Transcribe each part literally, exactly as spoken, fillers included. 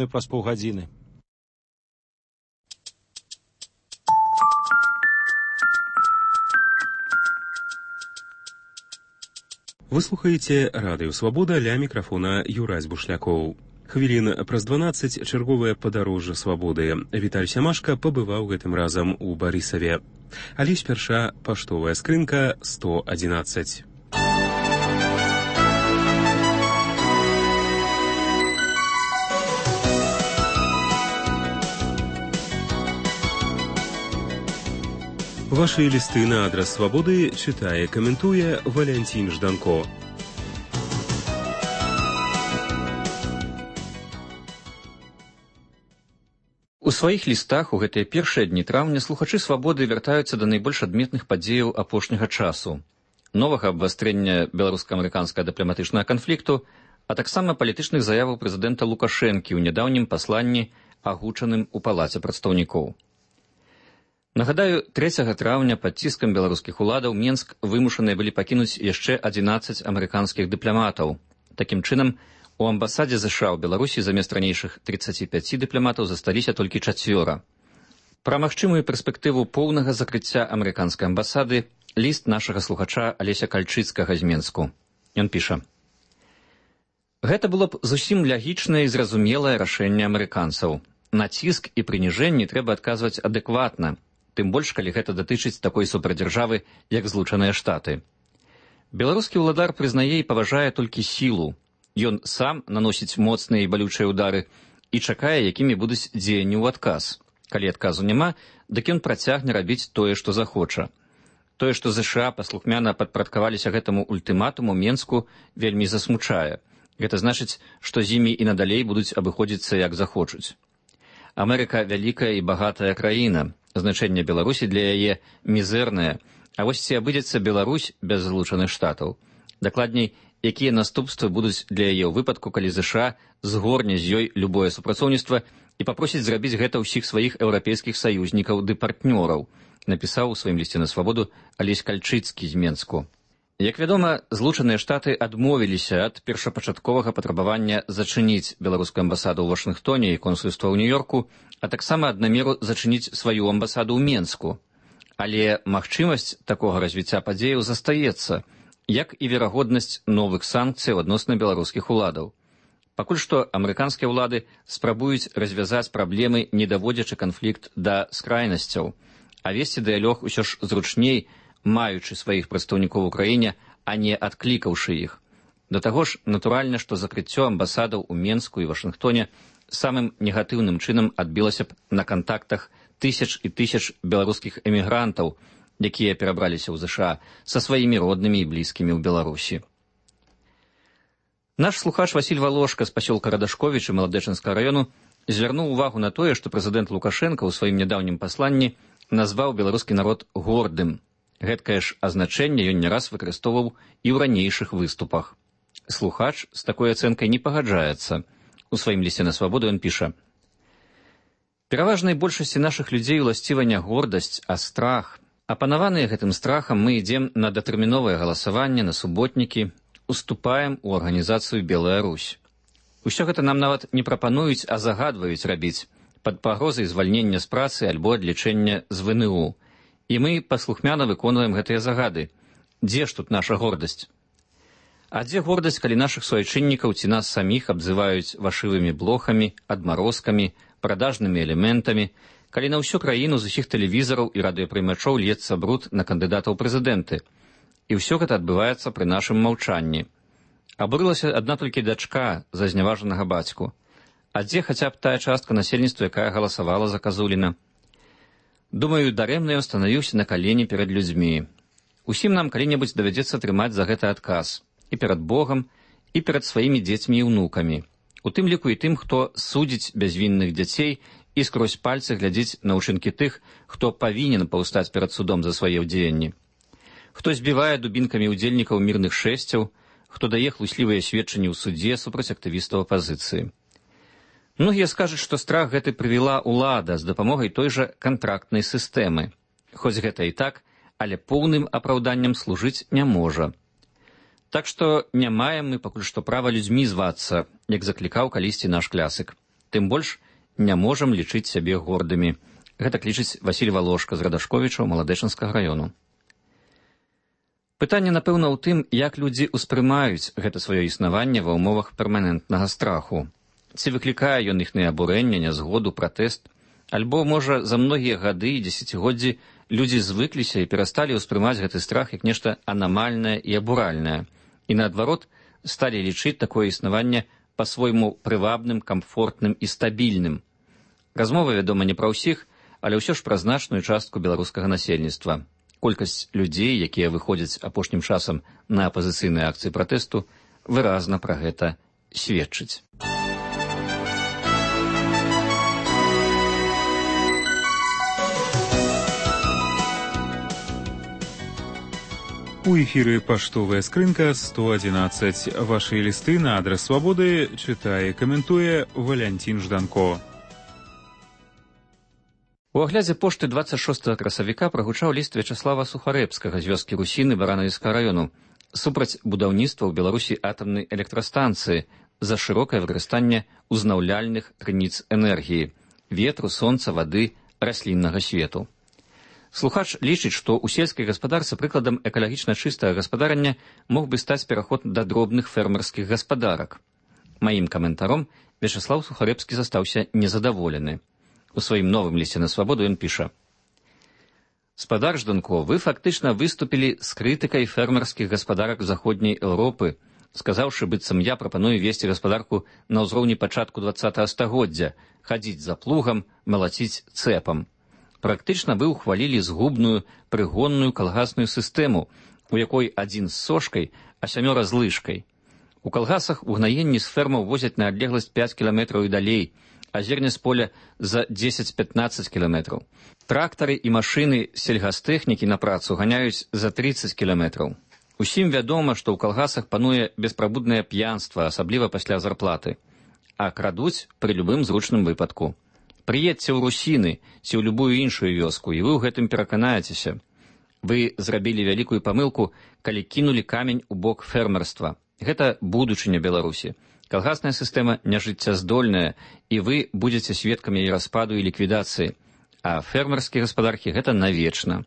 наступны праз паўгадзіны. Вы слухаеце Радыё Свабода, ля мікрафона Юрась Бушлякоў. Хвілін праз дванаццаць чарговае падарожжа свабоды. Віталь Сямашка пабываў гэтым разам у Барысаве. Але спярша паштовая скрынка сто адзінаццаць. Ваши листы на адрес свободы читае, каментуе Валянцін Жданко. У сваіх лістах у гэтыя першыя дні траўня слухачы свабоды вяртаюцца да найбольш адметных падзеяў апошняга часу, новага абвастрэння беларуска-амерыканскага дыпламатычнага канфлікту, а таксама палітычных заяваў прэзідэнта Лукашэнкі ў нядаўнім пасланні, агучаным у палаце прадстаўнікоў. Нагадаю, трэцяга траўня пад ціскам беларускіх уладаў Менск вымушаныя былі пакінуць яшчэ адзінаццаць амерыканскіх дыпламатаў. Такім чынам, у амбасадзе ЗША ў Беларусі замест ранейшых трыццаці пяці дыпламатаў засталіся толькі чацвёра. Пра магчымую перспектыву поўнага закрыцця амерыканскай амбасады ліст нашага слухача Алеся Кальчыцкага з Менску. Ён піша: «Гэта было б зусім лягічнае і зразумелае рашэнне амерыканцаў. На ціск і прыніжэнні трэба адказваць адэкватна, тым больш, калі гэта датычыць такой супердзяржавы, як Злучаныя Штаты. Беларускі ўладар прызнае і паважае толькі сілу. Ён сам наносіць моцныя і балючыя ўдары і чакае, якімі будуць дзеянні ў адказ. Калі адказу няма, дык ён працягне рабіць тое, што захоча. Тое, што ЗША паслухмяна падпарадкаваліся гэтаму ультыматуму Менску, вельмі засмучае. Гэта значыць, што з імі і надалей будуць абыходзіцца як захочуць. Амерыка вялікая і багатая краіна. Значэнне Беларусі для яе мізэрнае, а вось ці абыдзецца Беларусь без Злучаных Штатаў. Дакладней, якія наступствы будуць для яе ў выпадку, калі ЗША згорне з ёй любое супрацоўніцтва і папросіць зрабіць гэта ўсіх сваіх еўрапейскіх саюзнікаў ды партнёраў, напісаў у сваім лісце на свабоду Алесь Кальчыцкі з Менску. Як вядома, Злучаныя Штаты адмовіліся ад першапачатковага патрабавання зачыніць беларускую амбасаду ў Вашынгтоне і консульства ў Нью-Йорку, а таксама ад намеру зачыніць сваю амбасаду ў Менску. Але магчымасць такога развіцця падзеяў застаецца, як і верагоднасць новых санкцыяў адносна беларускіх уладаў. Пакуль што амерыканскія ўлады спрабуюць развязаць праблемы, не даводзячы канфлікт да скрайнасцяў, а весці дыялог усё ж зручней, маючы сваіх прадстаўнікоў у краіне, а не адклікаўшы іх. Да таго ж, натуральна, што закрыццё амбасадаў у Менску і Вашынгтоне самым негатыўным чынам адбілася б на кантактах тысяч і тысяч беларускіх эмігрантаў, якія перабраліся ў ЗША са сваімі роднымі і блізкімі ў Беларусі. Наш слухач Васіль Валошка з пасёлка Радашковіча Маладэчынскага раёну звярнуў увагу на тое, што прэзідэнт Лукашэнка ў сваім нядаўнім пасланні назваў беларускі народ гордым. Гэткае ж азначэнне ён не раз выкарыстоўваў і ў ранейшых выступах. Слухач з такой ацэнкай не пагаджаецца. У сваім лісце на свабоду ён піша: «Пераважнай большасці нашых людзей уласціва не гордасць, а страх. Апанаваныя гэтым страхам мы ідзем на датэрміновае галасаванне, на суботнікі, уступаем у арганізацыю Белая Русь. Усё гэта нам нават не прапануюць, а загадваюць рабіць, пад пагрозай звальнення з працы альбо адлічэння з ВНУ. І мы паслухмяна выконваем гэтыя загады. Дзе ж тут наша гордасць? А дзе гордасць, калі нашых суайчыннікаў ці нас саміх абзываюць вашывымі блохамі, адмарозкамі, прадажнымі элементамі, калі на ўсю краіну з усіх тэлевізараў і радыёпрымачоў льецца бруд на кандыдатаў прэзідэнты? І ўсё гэта адбываецца пры нашым маўчанні. Абурылася адна толькі дачка за зняважанага бацьку. А дзе хаця б тая частка насельніцтва, якая галасавала за Казуліна? Думаю, дарэмна ён станавіўся на калені перад людзьмі. Усім нам калі-небудзь давядзецца трымаць за гэта адказ. І перад Богам, і перад сваімі дзецьмі і ўнукамі. У тым ліку і тым, хто судзіць бязвінных дзяцей і скрозь пальцы глядзіць на ўчынкі тых, хто павінен паўстаць перад судом за свае дзеянні. Хто збівае дубінкамі ўдзельнікаў мірных шэсцяў, хто дае хлуслівыя сведчанні ў судзе супраць актывістаў апазіцыі. Многія скажуць, што страх гэты прывяла ўлада з дапамогай той жа кантрактнай сістэмы. Хоць гэта і так, але поўным апраўданнем служыць не можа. Так што не маем мы пакуль што права людзьмі звацца, як заклікаў калісьці наш клясык. Тым больш не можам лічыць сябе гордымі. Гэта лічыць Васіль Валошка з Радашковічаў Маладэчанскага раёну. Пытанне, напэўна, ў тым, як людзі ўспрымаюць гэта сваё існаванне ва ўмовах перманентнага страху. Ці выклікае ён іхнае абурэнне, нязгоду, пратэст, альбо, можа, за многія гады і дзесяцігоддзі людзі звыкліся і перасталі ўспрымаць гэты страх як нешта анамальнае і абуральнае, і, наадварот, сталі лічыць такое існаванне па-свойму прывабным, камфортным і стабільным. Размова, вядома, не пра ўсіх, але ўсё ж пра значную частку беларускага насельніцтва. Колькасць людзей, якія выходзяць апошнім часам на апазіцыйныя акцыі пратэсту, выразна пра гэта сведчыць. У эфіры паштовая скрынка сто адзінаццаць. Вашы лісты на адрас Свабоды чытае і каментуе Валянцін Жданко. У аглядзе пошты дваццаць шостага красавіка прагучаў ліст Вячаслава Сухарэбскага з вёскі Русіны Баранавіцкага раёну супраць будаўніцтва ў Беларусі атамнай электрастанцыі за шырокае выкарыстанне узнаўляльных крыніц энергіі – ветру, сонца, вады, расліннага свету. Слухач лічыць, што ў сельскай гаспадарцы прыкладам экалагічна чыстага гаспадарання мог бы стаць пераход да дробных фермерскіх гаспадарак. Маім каментаром Вячаслаў Сухарэбскі застаўся незадаволены. У сваім новым лісце на Свабоду ён піша: «Спадар Жданко, вы фактычна выступілі з крытыкай фермерскіх гаспадарак заходняй Еўропы, сказаўшы, быццам я прапаную весці гаспадарку на ўзроўні пачатку дваццатага стагоддзя, хадзіць за плугам, малаціць цэпам. Практычна вы ўхвалілі згубную прыгонную калгасную сістэму, у якой адзін з сошкай, а сямёра з лыжкай. У калгасах угнаенні з фермаў возяць на адлегласць пяць кіламетраў і далей, а зерне з поля за дзесяць-пятнаццаць кіламетраў. Трактары і машыны сельгастэхнікі на працу ганяюць за трыццаць кіламетраў. Усім вядома, што ў калгасах пануе беспрабуднае п'янства, асабліва пасля зарплаты. А крадуць пры любым зручным выпадку. Прыедзьце ў Русіны ці ў любую іншую вёску, і вы ў гэтым пераканаецеся. Вы зрабілі вялікую памылку, калі кінулі камень у бок фермерства. Гэта будучыня Беларусі. Калгасная сістэма няжыццяздольная, і вы будзеце сведкамі яе распаду і ліквідацыі. А фермерскія гаспадаркі гэта навечна.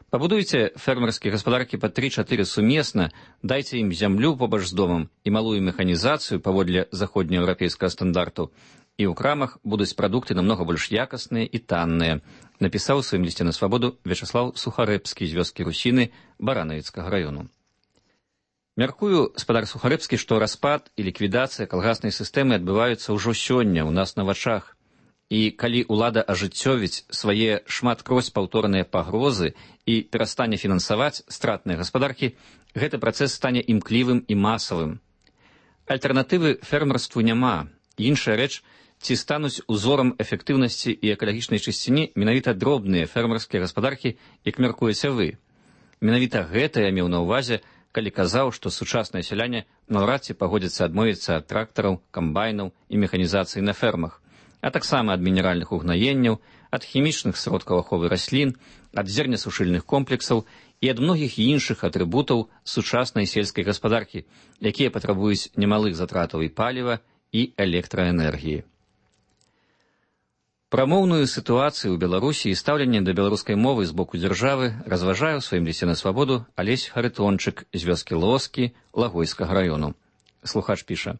Пабудуйце фермерскія гаспадаркі па тры-чатыры сумесна, дайце ім зямлю побач з домам і малую механізацыю паводле заходнееўрапейскага стандарту, і ў крамах будуць прадукты намнога больш якасныя і танныя, напісаў у сваім лісце на Свабоду Вячаслаў Сухарэбскі з вёскі Русіны Баранавіцкага раёну. Мяркую, спадар Сухарэбскі, што распад і ліквідацыя калгаснай сістэмы адбываюцца ўжо сёння ў нас на вачах. І калі ўлада ажыццёвіць свае шматкроць паўторныя пагрозы і перастане фінансаваць стратныя гаспадаркі, гэты працэс стане імклівым і масавым. Альтэрнатывы фермерству няма. Іншая рэч, ці стануць узорам эфектыўнасці і экалагічнай чысціні менавіта дробныя фермерскія гаспадаркі, як мяркуеце вы. Менавіта гэта я меў на ўвазе, калі казаў, што сучасныя сяляне наўрад ці пагодзяцца адмовіцца ад трактараў, камбайнаў і механізацыі на фермах, а таксама ад мінеральных угнаенняў, ад хімічных сродкаў аховы раслін, ад зернесушыльных комплексаў і ад многіх іншых атрыбутаў сучаснай сельскай гаспадаркі, якія патрабуюць немалых затратаў і паліва, і электраэнергіі. Пра моўную сітуацыю ў Беларусі і стаўленне да беларускай мовы з боку дзяржавы разважае ў сваім лісце на Свабоду Алесь Харытончык з вёскі Лоскі Лагойскага раёну. Слухач піша: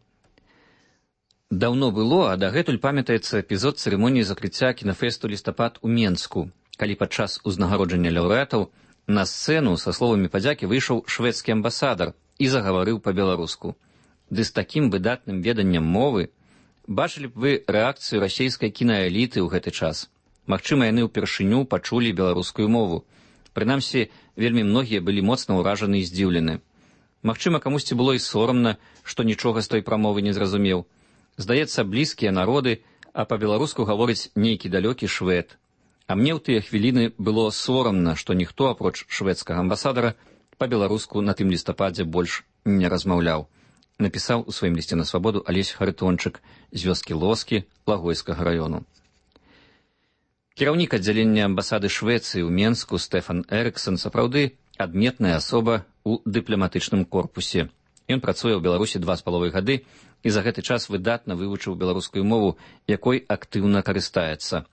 «Даўно было, а дагэтуль памятаецца эпізод цырымоніі закрыцця кінафэсту «Лістапад» у Менску, калі падчас узнагароджання лаўрэатаў на сцэну са словамі падзякі выйшаў шведскі амбасадар і загаварыў па-беларуску. Ды з такім выдатным веданнем мовы бачылі б вы рэакцыю расейскай кінаэліты ў гэты час. Магчыма, яны ўпершыню пачулі беларускую мову. Прынамсі, вельмі многія былі моцна ўражаны і здзіўлены. Магчыма, камусьці было і сорамна, што нічога з той прамовы не зразумеў. Здаецца, блізкія народы, а па-беларуску гаворыць нейкі далёкі швед. А мне ў тыя хвіліны было сорамна, што ніхто, апроч шведскага амбасадара, па-беларуску на тым лістападзе больш не размаўляў. Напісаў у сваім лісце на Свабоду Алесь Харытончык з вёскі Лоскі Лагойскага раёну. Кіраўнік аддзялення амбасады Швецыі ў Менску Стэфан Эрыксон сапраўды адметная асоба ў дыпламатычным корпусе. Ён працуе ў Беларусі два з паловай гады і за гэты час выдатна вывучыў беларускую мову, якой актыўна карыстаецца.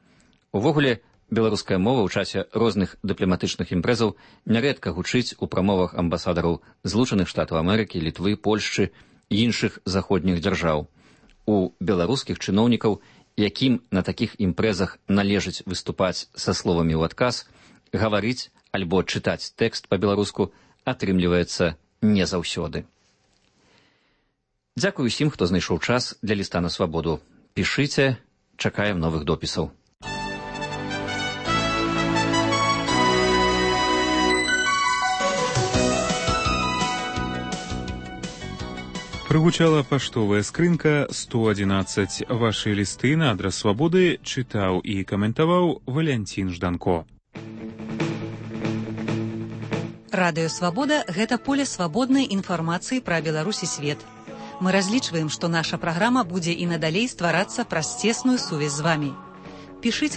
Увогуле, беларуская мова ў часе розных дыпламатычных імпрэзаў нярэдка гучыць у прамовах амбасадараў Злучаных Штатаў Амерыкі, Літвы, Польшчы і іншых заходніх дзяржаў. У беларускіх чыноўнікаў, якім на такіх імпрэзах належыць выступаць са словамі ў адказ, гаварыць альбо чытаць тэкст па-беларуску атрымліваецца не заўсёды. Дзякуй усім, хто знайшоў час для ліста на свабоду. Пішыце, чакаем новых допісаў. Прыгучала паштовая скрынка сто адзінаццаць. Вашы лісты на адрас свабоды чытаў і каментаваў Валянцін Жданко. Радыё Свабода – гэта поле свабоднай інфармацыі пра Беларусь і свет. Мы разлічваем, што наша праграма будзе і надалей стварацца праз цесную сувязь з вамі. Пішыце